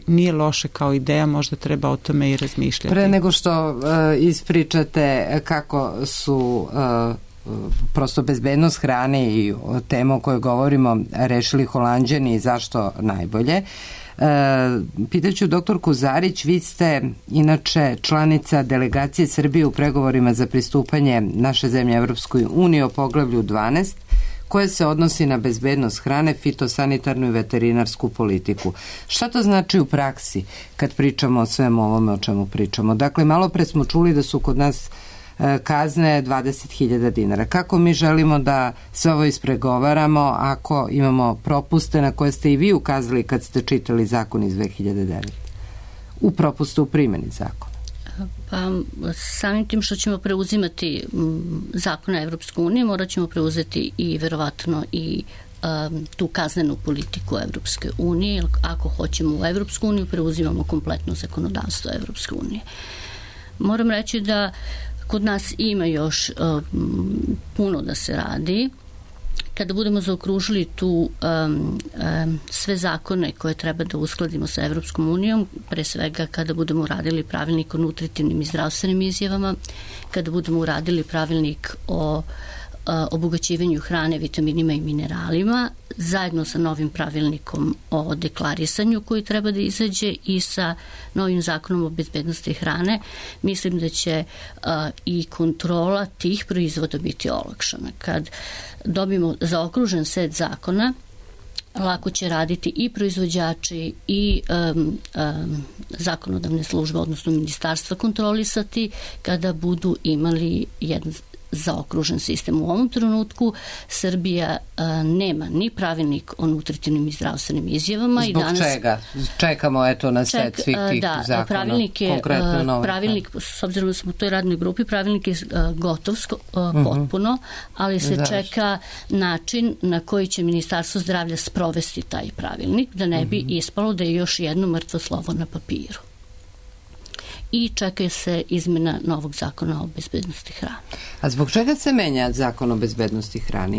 nije loše kao ideja, možda treba o tome i razmišljati. Pre nego što ispričate kako su prosto bezbednost hrane i temu o kojoj govorimo rešili Holanđani i zašto najbolje, pitaću doktorku Zarić, vi ste inače članica delegacije Srbije u pregovorima za pristupanje naše zemlje Evropskoj uniji o poglavlju 12 koje se odnosi na bezbednost hrane, fitosanitarnu i veterinarsku politiku. Šta to znači u praksi kad pričamo o svemu ovome o čemu pričamo? Dakle, malo pre smo čuli da su kod nas kazne 20.000 dinara. Kako mi želimo da sve ovo ispregovaramo ako imamo propuste na koje ste i vi ukazali kad ste čitali zakon iz 2009. U propuste u primjeni zakona? Pa samim tim što ćemo preuzimati zakona Evropske unije, morat ćemo preuzeti i verovatno i tu kaznenu politiku Evropske unije, jer ako hoćemo u Evropsku uniju, preuzimamo kompletno zakonodavstvo Evropske unije. Moram reći da kod nas ima još puno da se radi. Kada budemo zaokružili tu sve zakone koje treba da uskladimo sa Evropskom unijom, pre svega kada budemo uradili pravilnik o nutritivnim i zdravstvenim izjavama, kada budemo uradili pravilnik o obogaćivanju hrane vitaminima i mineralima, zajedno sa novim pravilnikom o deklarisanju koji treba da izađe i sa novim zakonom o bezbednosti hrane, mislim da će i kontrola tih proizvoda biti olakšana. Kad dobijemo zaokružen set zakona, lako će raditi i proizvođači i zakonodavne službe, odnosno ministarstva kontrolisati kada budu imali jedan zaokružen sistem. U ovom trenutku Srbija nema ni pravilnik o nutritivnim i zdravstvenim izjavama. Zbog i danas, čega? Čekamo na set svih tih zakona. Pravilnik, s obzirom da smo u toj radnoj grupi, pravilnik je gotov potpuno, ali se čeka način na koji će Ministarstvo zdravlja sprovesti taj pravilnik, da ne bi ispalo da je još jedno mrtvo slovo na papiru. I čeka se izmena novog zakona o bezbednosti hrane. A zbog čega se menja zakon o bezbednosti hrane?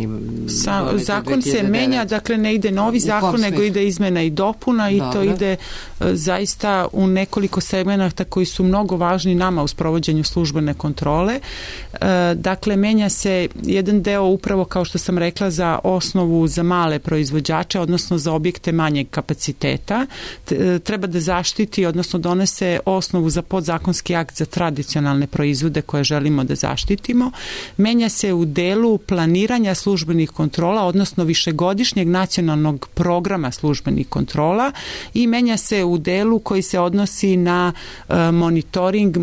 Zakon se menja, dakle ne ide novi zakon, nego ide izmena i dopuna i to ide zaista u nekoliko segmenata koji su mnogo važni nama u sprovođenju službene kontrole. Dakle, menja se jedan deo upravo, kao što sam rekla, za osnovu za male proizvođače, odnosno za objekte manjeg kapaciteta. Treba da zaštiti, odnosno donese osnovu za podzakonski akt za tradicionalne proizvode koje želimo da zaštitimo. Menja se u delu planiranja službenih kontrola, odnosno višegodišnjeg nacionalnog programa službenih kontrola i menja se u delu koji se odnosi na monitoring,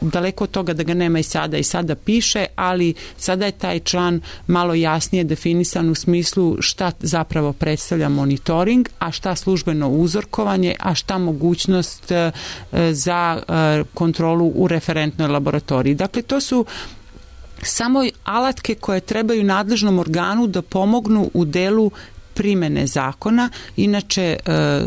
daleko od toga da ga nema i sada piše, ali sada je taj član malo jasnije definisan u smislu šta zapravo predstavlja monitoring, a šta službeno uzorkovanje, a šta mogućnost za kontrolu u referentnoj laboratoriji. Dakle, to su samo alatke koje trebaju nadležnom organu da pomognu u delu primene zakona. Inače,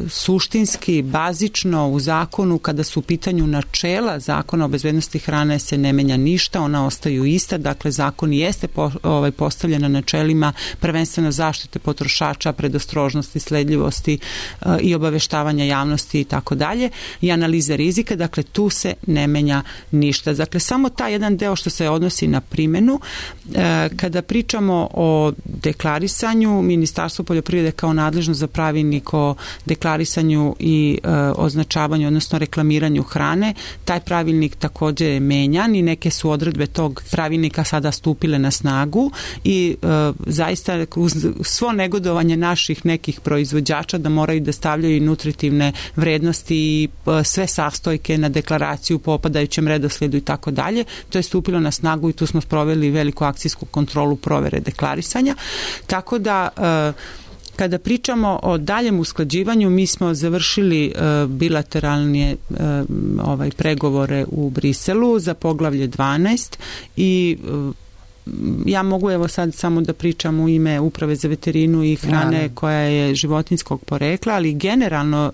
suštinski, bazično u zakonu, kada su u pitanju načela zakona o bezbednosti hrane, se ne menja ništa, ona ostaju ista. Dakle, zakon jeste postavljen na načelima prvenstveno zaštite potrošača, predostrožnosti, sledljivosti i obaveštavanja javnosti i tako dalje i analize rizika. Dakle, tu se ne menja ništa. Dakle, samo taj jedan deo što se odnosi na primenu. Kada pričamo o deklarisanju, Ministarstvo poljoprivrede kao nadležno za pravilnik o deklarisanju i označavanju, odnosno reklamiranju hrane. Taj pravilnik također je menjan i neke su odredbe tog pravilnika sada stupile na snagu i zaista uz svo negodovanje naših nekih proizvođača da moraju da stavljaju nutritivne vrednosti i sve sastojke na deklaraciju po opadajućem redosledu i tako dalje. To je stupilo na snagu i tu smo sproveli veliku akcijsku kontrolu provere deklarisanja. Tako da kada pričamo o daljem usklađivanju, mi smo završili bilateralne pregovore u Briselu za poglavlje 12 i ja mogu evo sad samo da pričam u ime Uprave za veterinu i hrane koja je životinjskog porekla, ali generalno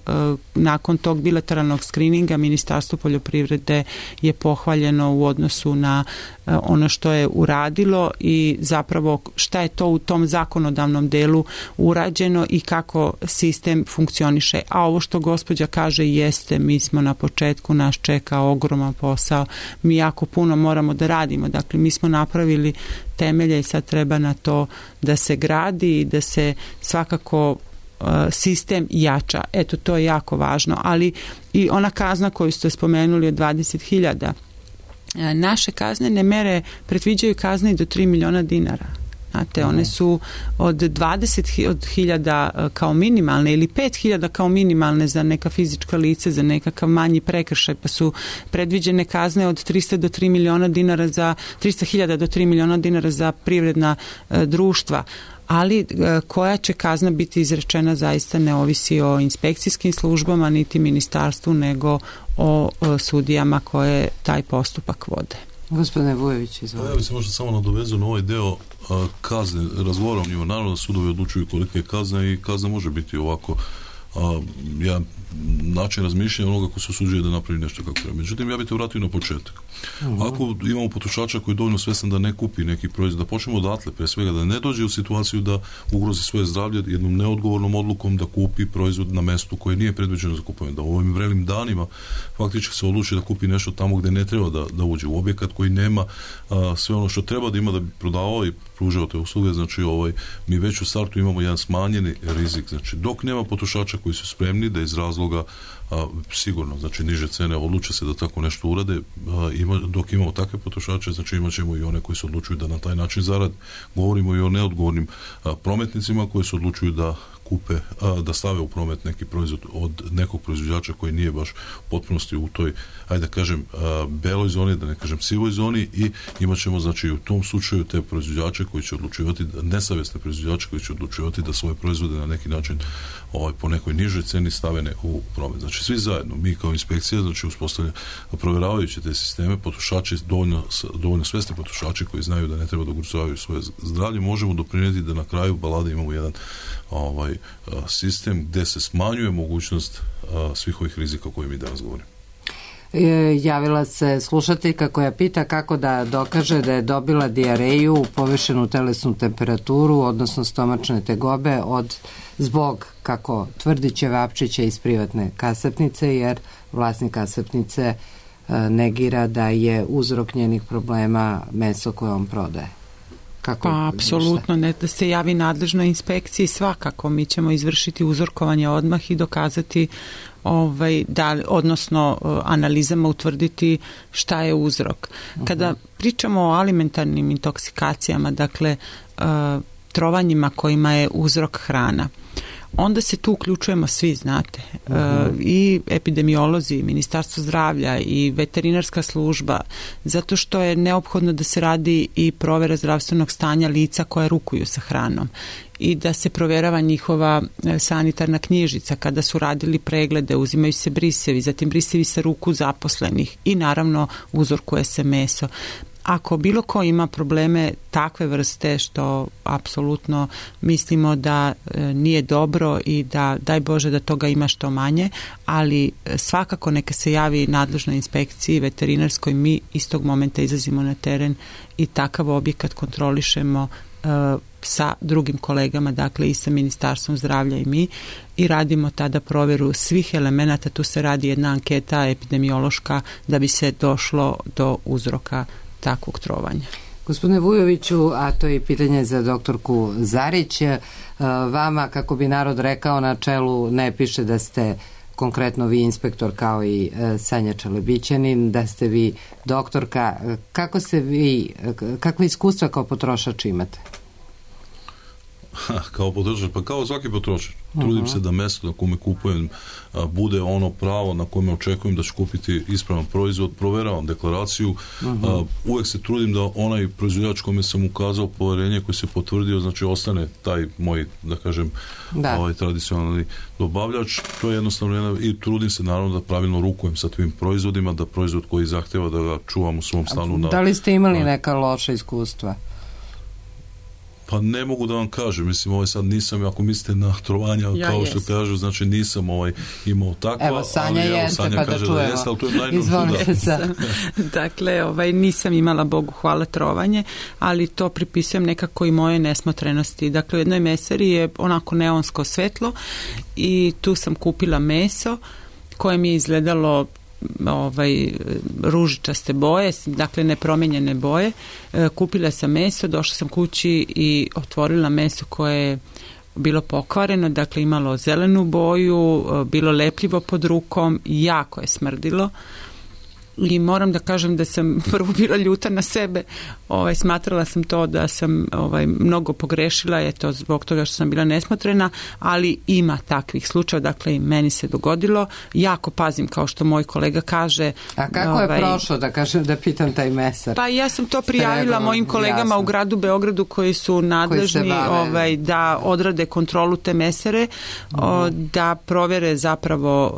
nakon tog bilateralnog skrininga Ministarstvo poljoprivrede je pohvaljeno u odnosu na ono što je uradilo i zapravo šta je to u tom zakonodavnom delu urađeno i kako sistem funkcioniše. A ovo što gospođa kaže jeste, mi smo na početku, nas čeka ogroman posao, mi jako puno moramo da radimo. Dakle, mi smo napravili temelje i sad treba na to da se gradi i da se svakako sistem jača. Eto, to je jako važno. Ali i ona kazna koju ste spomenuli od 20.000, naše kaznene mere predviđaju kazne i do 3 miliona dinara. Znate, one su od 20.000 kao minimalne ili 5.000 kao minimalne za neka fizička lice, za nekakav manji prekršaj, pa su predviđene kazne od 300 do 3 miliona dinara za 300.000 do 3 miliona dinara za privredna društva. Ali koja će kazna biti izrečena zaista ne ovisi o inspekcijskim službama niti ministarstvu, nego o sudijama koje taj postupak vode. Gospodine Vujović, izvolite. Ja bih se možda samo nadovezao na ovaj deo kazne. Razgovaram o njima, naravno da sudovi odlučuju kolike je kazna i kazna može biti ovako jedan način razmišljanja onoga ko se osuđuje da napravi nešto kako treba. Međutim, ja bih te vratio na početak. Ako imamo potrošača koji je dovoljno svestan da ne kupi neki proizvod, da počnemo odatle, pre svega da ne dođe u situaciju da ugrozi svoje zdravlje jednom neodgovornom odlukom da kupi proizvod na mestu koje nije predviđeno za kupovanje, da u ovim vrelim danima faktički se odluči da kupi nešto tamo gde ne treba da uđe u objekat koji nema sve ono što treba da ima da bi prodavao i pružao te usluge. Znači mi već u startu imamo jedan smanjeni rizik. Znači dok nema potrošača koji su spremni da iz razloga sigurno, znači niže cene odluče se da tako nešto urade, dok imamo takve potrošače, znači imat ćemo i one koji se odlučuju da na taj način zarade. Govorimo i o neodgovornim prometnicima koji se odlučuju da kupe, da stave u promet neki proizvod od nekog proizvođača koji nije baš u potpunosti u toj, ajde da kažem, beloj zoni, da ne kažem sivoj zoni, i imat ćemo, znači, u tom slučaju te proizvođače koji će odlučivati, nesavjesne proizvođače koji će odlučivati da svoje proizvode na neki način po nekoj nižoj ceni stavene u promet. Znači, svi zajedno, mi kao inspekcija, znači, provjeravajući te sisteme, potrošači, dovoljno svesni potrošači koji znaju da ne treba da ugrožavaju svoje zdravlje, možemo doprinijeti da na kraju balade imamo jedan sistem gde se smanjuje mogućnost svih ovih rizika o kojima mi danas govorimo. Javila se slušateljka koja pita kako da dokaže da je dobila dijareju, povišenu telesnu temperaturu, odnosno stomačne tegobe zbog, kako tvrdi Ćevapčića iz privatne kasapnice, jer vlasnik kasapnice negira da je uzrok njenih problema meso koje on prodaje. Pa, apsolutno, ne da se javi nadležnoj inspekciji, svakako mi ćemo izvršiti uzorkovanje odmah i dokazati odnosno analizama utvrditi šta je uzrok. Kada pričamo o alimentarnim intoksikacijama, dakle trovanjima kojima je uzrok hrana, onda se tu uključujemo svi, znate, i epidemiolozi, i Ministarstvo zdravlja, i veterinarska služba, zato što je neophodno da se radi i provera zdravstvenog stanja lica koja rukuju sa hranom i da se provjerava njihova sanitarna knjižica. Kada su radili preglede, uzimaju se brisevi, zatim brisevi sa ruku zaposlenih i naravno uzorkuje se meso. Ako bilo ko ima probleme takve vrste, što apsolutno mislimo da nije dobro i da daj Bože da toga ima što manje, ali svakako neka se javi nadležnoj inspekciji veterinarskoj, mi istog momenta izlazimo na teren i takav objekat kontrolišemo sa drugim kolegama, dakle i sa Ministarstvom zdravlja i mi, i radimo tada provjeru svih elemenata. Tu se radi jedna anketa epidemiološka da bi se došlo do uzroka takvog trovanja. Gospodine Vujoviću, a to je pitanje za doktorku Zarić, vama, kako bi narod rekao, na čelu ne piše da ste konkretno vi inspektor kao i Sanja Čelebićanin, da ste vi doktorka. Kakve iskustva kao potrošač imate? Kao potrošač, pa kao svaki potrošač. Trudim se da mesto na kome kupujem bude ono pravo na kome očekujem da ću kupiti ispravan proizvod, proveravam deklaraciju, uvek se trudim da onaj proizvođač kome sam ukazao poverenje, koji se potvrdio, znači ostane taj moj, da kažem, tradicionalni dobavljač. To je jednostavno i trudim se naravno da pravilno rukujem sa tvim proizvodima, da proizvod koji zahteva da ga čuvam u svom stanu. Da li ste imali neka loša iskustva? Pa ne mogu da vam kažem, mislim, sad nisam, ako mislite na trovanja, kao što kažu, znači nisam imao takva. Evo, Sanja jeste, pa da čujemo. Ali to je najnužno. Izvolite se. Dakle, nisam imala, Bogu hvala, trovanje, ali to pripisujem nekako i moje nesmotrenosti. Dakle, u jednoj mesari je onako neonsko svetlo i tu sam kupila meso koje mi je izgledalo ružičaste boje, dakle nepromijenjene boje. Kupila sam meso, došla sam kući i otvorila meso koje je bilo pokvareno, dakle imalo zelenu boju, bilo lepljivo pod rukom, jako je smrdilo. I moram da kažem da sam prvo bila ljuta na sebe, smatrala sam to da sam mnogo pogrešila, eto, zbog toga što sam bila nesmotrena, ali ima takvih slučajeva, dakle i meni se dogodilo. Jako pazim, kao što moj kolega kaže. A kako je prošlo, da kažem, da pitam taj mesar? Pa ja sam to prijavila mojim kolegama u gradu Beogradu koji su nadležni da odrade kontrolu te mesare, da provjere zapravo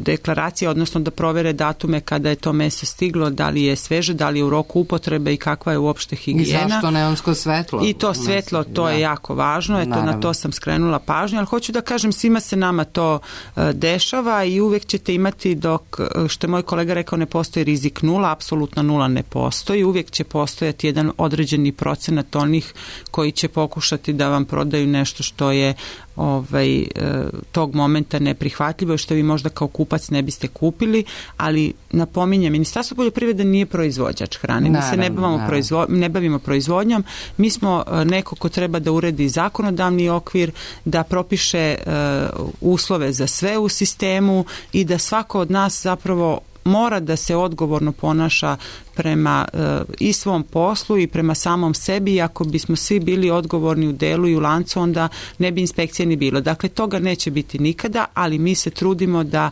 deklaracije, odnosno da provere datume kada je to meso stiglo, da li je sveže, da li je u roku upotrebe i kakva je uopšte higijena. I zašto neonsko svetlo? I to svetlo, to je jako važno, eto, na to sam skrenula pažnju, ali hoću da kažem, svima se nama to dešava i uvek ćete imati, dok, što je moj kolega rekao, ne postoji rizik nula, apsolutno nula ne postoji, uvijek će postojati jedan određeni procenat onih koji će pokušati da vam prodaju nešto što je tog momenta neprihvatljivo, što vi možda kao kupac ne biste kupili, ali napominjem, Ministarstvo poljoprivrede nije proizvođač hrane, mi se ne bavimo proizvodnjom, mi smo neko ko treba da uredi zakonodavni okvir, da propiše uslove za sve u sistemu i da svako od nas zapravo mora da se odgovorno ponaša prema i svom poslu i prema samom sebi, i ako bismo svi bili odgovorni u delu i u lancu, onda ne bi inspekcije ni bilo. Dakle, toga neće biti nikada, ali mi se trudimo da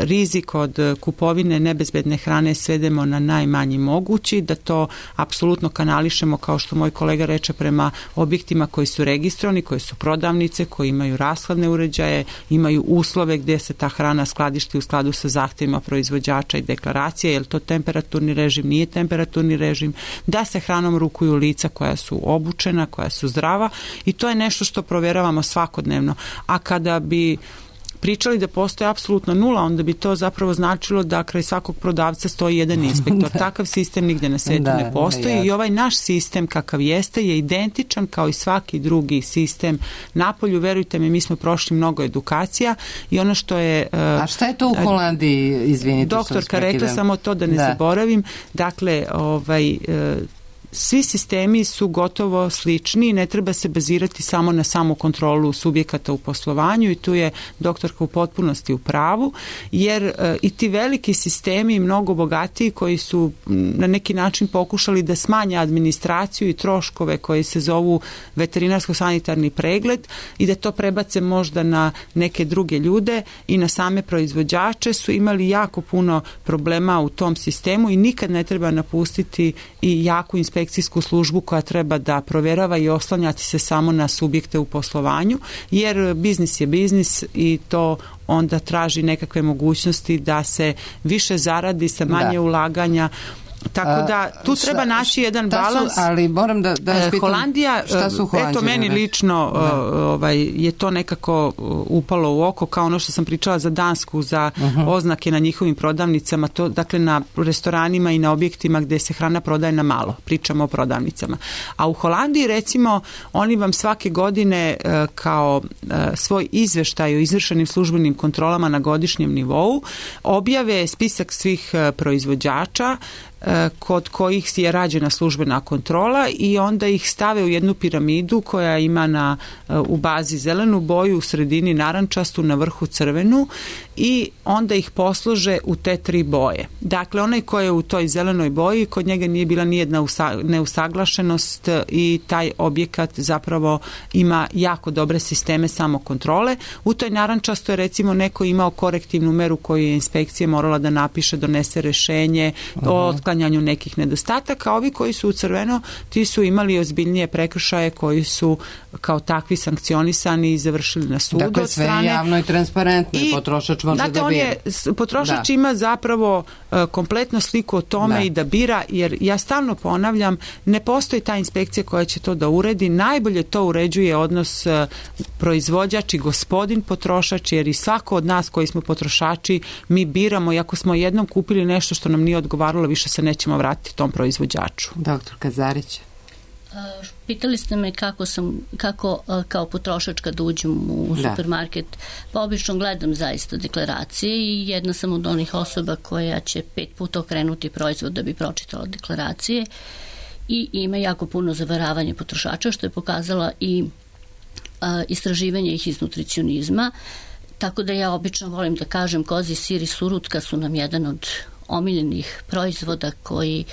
rizik od kupovine nebezbedne hrane svedemo na najmanji mogući, da to apsolutno kanališemo, kao što moj kolega reče, prema objektima koji su registrovani, koji su prodavnice, koji imaju rashladne uređaje, imaju uslove gdje se ta hrana skladišti u skladu sa zahtjevima proizvođača i deklaracije, je li to temperaturni režim, nije temperaturni režim, da se hranom rukuju lica koja su obučena, koja su zdrava, i to je nešto što provjeravamo svakodnevno. A kada bi pričali da postoje apsolutno nula, onda bi to zapravo značilo da kraj svakog prodavca stoji jedan inspektor. Takav sistem nigdje na svijetu ne postoji i ovaj naš sistem kakav jeste je identičan kao i svaki drugi sistem napolju. Verujte mi, mi smo prošli mnogo edukacija i ono što je... A šta je to u Holandiji, izvinite? Doktorka rekla, samo to da ne zaboravim, dakle, svi sistemi su gotovo slični i ne treba se bazirati samo na samu kontrolu subjekata u poslovanju, i tu je doktorka u potpunosti u pravu, jer i ti veliki sistemi, mnogo bogatiji, koji su na neki način pokušali da smanje administraciju i troškove koji se zovu veterinarsko-sanitarni pregled i da to prebace možda na neke druge ljude i na same proizvođače, su imali jako puno problema u tom sistemu i nikad ne treba napustiti i jaku inspekciju službu koja treba da provjerava i oslanjati se samo na subjekte u poslovanju, jer biznis je biznis i to onda traži nekakve mogućnosti da se više zaradi sa manje ulaganja. Tako da tu treba naći jedan balans. Ali moram da spitam, Holandija, šta su Holandije? Eto, meni lično je to nekako upalo u oko, kao ono što sam pričala za Dansku, za oznake na njihovim prodavnicama, to, dakle, na restoranima i na objektima gdje se hrana prodaje na malo, pričamo o prodavnicama. A u Holandiji, recimo, oni vam svake godine kao svoj izveštaj o izvršenim službenim kontrolama na godišnjem nivou objave spisak svih proizvođača kod kojih je rađena službena kontrola, i onda ih stave u jednu piramidu koja ima u bazi zelenu boju, u sredini narančastu, na vrhu crvenu, i onda ih poslože u te 3 boje. Dakle, onaj ko je u toj zelenoj boji, kod njega nije bila nijedna neusaglašenost i taj objekat zapravo ima jako dobre sisteme samokontrole. U toj narančastoj, recimo, neko imao korektivnu meru koju je inspekcija morala da napiše, donese rešenje o otklanjanju nekih nedostataka. Ovi koji su u crveno, ti su imali ozbiljnije prekršaje koji su kao takvi sankcionisani i završili na sudu. Dakle, sve je javno i transparentno i potrošač može da bira. Potrošač ima zapravo kompletno sliku o tome i da bira, jer ja stalno ponavljam, ne postoji ta inspekcija koja će to da uredi. Najbolje to uređuje odnos proizvođač i gospodin potrošač, jer i svako od nas koji smo potrošači, mi biramo, i ako smo jednom kupili nešto što nam nije odgovaralo, više se nećemo vratiti tom proizvođaču. Doktor Kazarić. Pitali ste me kako kao potrošač kad uđem u supermarket. Pa obično gledam zaista deklaracije i jedna sam od onih osoba koja će 5 puta okrenuti proizvod da bi pročitala deklaracije, i ima jako puno zavaravanja potrošača, što je pokazala i istraživanje ih iz nutricionizma. Tako da ja obično volim da kažem, kozji sir i surutka su nam jedan od omiljenih proizvoda koji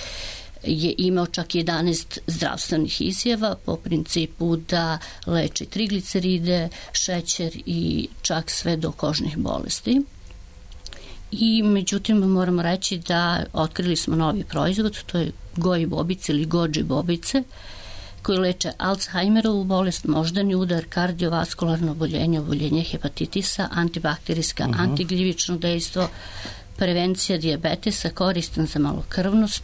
je imao čak 11 zdravstvenih izjava po principu da leči trigliceride, šećer i čak sve do kožnih bolesti. I međutim moramo reći da otkrili smo novi proizvod, to je goji bobice ili goji bobice, koji leče Alzheimerovu bolest, moždani udar, kardiovaskularno oboljenje, oboljenje hepatitisa, antibakterijska, antigljivično dejstvo, prevencija dijabetesa, koristan za malokrvnost,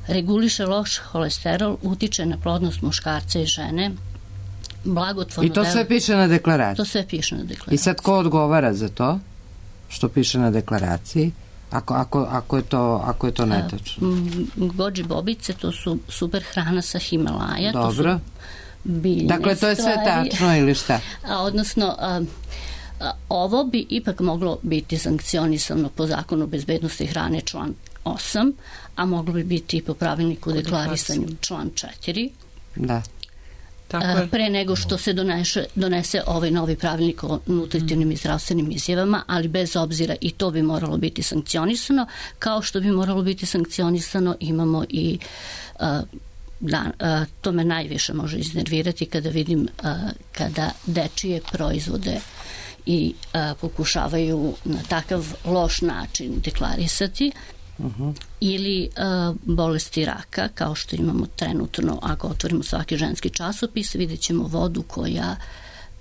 reguliše loš holesterol, utiče na plodnost muškarca i žene, blagotvorno... I to sve piše na deklaraciji? To sve piše na deklaraciji. I sad ko odgovara za to što piše na deklaraciji? Ako je to netačno. Goji bobice, to su super hrana sa Himalaja. Dobro. To su biljne dakle, to je sve tačno ili šta? Odnosno, ovo bi ipak moglo biti sankcionisano po zakonu o bezbednosti hrane član 8, a moglo bi biti i po pravilniku o deklarisanju član 4. Da. pre nego što se donese ovaj novi pravilnik o nutritivnim i zdravstvenim izjavama, ali bez obzira i to bi moralo biti sankcionisano, kao što bi moralo biti sankcionisano imamo i to me najviše može iznervirati kada vidim kada dečije proizvode i pokušavaju na takav loš način deklarisati ili bolesti raka, kao što imamo trenutno, ako otvorimo svaki ženski časopis, vidjet ćemo vodu koja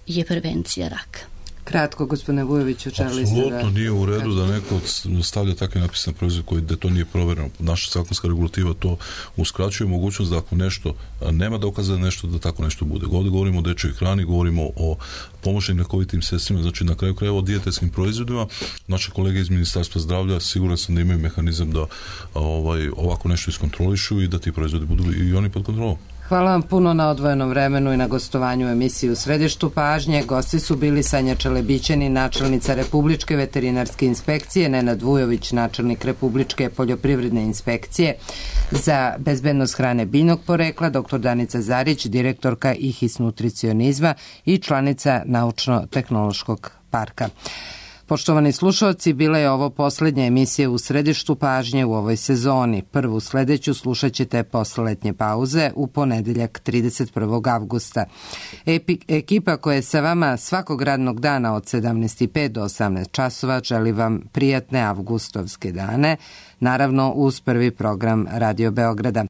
je prevencija raka. Kratko, gospodine Vujoviću, želi ste da... Apsolutno nije u redu da neko stavlja takve napise na proizvod da to nije provereno. Naša zakonska regulativa to uskraćuje mogućnost da ako nešto nema dokaza nešto, da tako nešto bude. Ovdje govorimo o dečjoj hrani, govorimo o pomoćnim lekovitim sredstvima, znači na kraju krajeva o dijetetskim proizvodima. Naše kolege iz Ministarstva zdravlja siguran sam da imaju mehanizam da ovako nešto iskontrolišu i da ti proizvodi budu i oni pod kontrolom. Hvala vam puno na odvojenom vremenu i na gostovanju u emisiji U središtu pažnje. Gosti su bili Sanja Čelebićanin, načelnica Republičke veterinarske inspekcije, Nenad Vujović, načelnik Republičke poljoprivredne inspekcije za bezbednost hrane biljnog porekla, dr. Danica Zarić, direktorka IHIS nutricionizma i članica Naučno-tehnološkog parka. Poštovani slušalci, bila je ovo poslednja emisija U središtu pažnje u ovoj sezoni. Prvu sledeću slušat ćete posle letnje pauze u ponedeljak 31. avgusta. Ekipa koja je sa vama svakog radnog dana od 17:05 do 18 časova želi vam prijatne avgustovske dane, naravno uz prvi program Radio Beograda.